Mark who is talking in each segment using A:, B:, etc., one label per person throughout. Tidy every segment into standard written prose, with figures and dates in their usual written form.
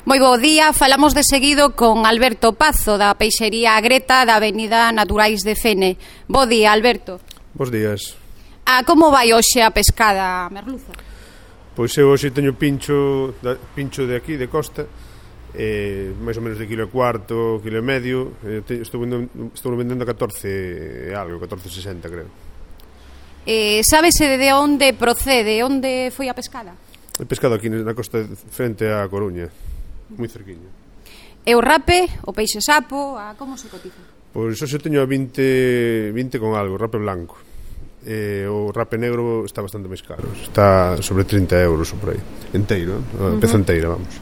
A: Moi bo día, falamos de seguido con Alberto Pazo da peixería Agreta da Avenida Naturais de Fene. Bo día, Alberto.
B: Bos días.
A: Como vai hoxe a pescada merluza?
B: Pois eu hoxe teño pincho de aquí, de costa, máis ou menos de kilo e cuarto, kilo e medio. Estou vendendo a 14 algo, 14,60 creo.
A: Sábese de onde procede, onde foi a pescada?
B: He pescado aquí na costa frente á Coruña, moi cerquiño.
A: E o rape, o peixe sapo, como se cotiza?
B: Pois hoxe teño a 20 con algo, rape blanco. O rape negro está bastante máis caro, está sobre 30 euros ou por aí, enteiro, a peza enteira, vamos.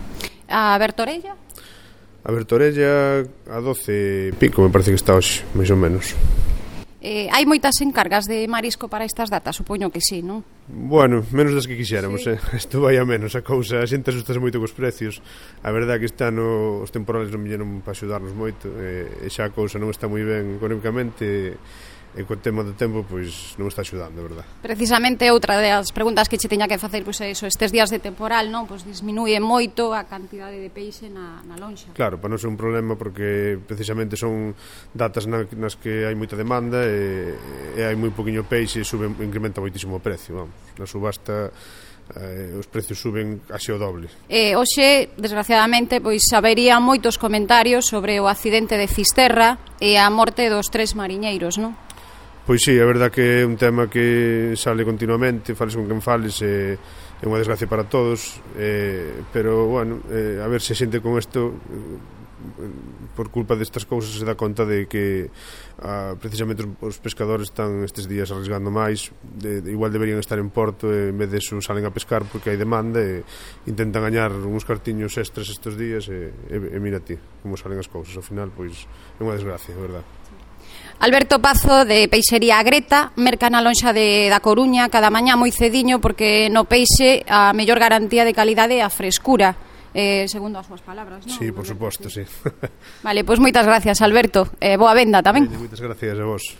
A: A bertorella?
B: A bertorella a 12 pico me parece que está hoxe, máis ou menos.
A: Hai moitas encargas de marisco para estas datas, supoño que sí, non?
B: Bueno, menos das que quixéramos, isto vai a menos a cousa, a xente asustase moito cos precios. A verdade é que este ano os temporales non viñeron para axudarnos moito, e xa a cousa non está moi ben económicamente, e co tema do tempo pois non está axudando, de verdade.
A: Precisamente outra das preguntas que che teña que facer, pois é iso, estes días de temporal, non? Pois disminúe moito a cantidade de peixe na lonxa.
B: Claro, para non ser un problema porque precisamente son datas nas que hai moita demanda e hai moi poquinho peixe e incrementa moitísimo o precio, vamos. Na subasta os precios suben casi o doble.
A: Hoxe, desgraciadamente, pois habería moitos comentarios sobre o accidente de Fisterra e a morte dos 3 mariñeiros, non?
B: Pois sí, a verdad que é un tema que sale continuamente, fales con quen fales, é unha desgracia para todos, pero, bueno, a ver se a xente con isto, por culpa destas cousas, se dá conta de que precisamente os pescadores están estes días arriesgando máis, igual deberían estar en porto, e en vez de eso salen a pescar porque hai demanda e intentan gañar uns cartiños extras estes días, e mira ti como salen as cousas, ao final, pois é unha desgracia, a verdade.
A: Alberto Pazo, de peixería Agreta, merca na lonxa da Coruña cada mañá moi cediño, porque no peixe a mellor garantía de calidade é a frescura, segundo as súas palabras, non?
B: Sí, por suposto, sí.
A: Vale, pois moitas gracias, Alberto, boa venda tamén.
B: Moitas gracias a vos.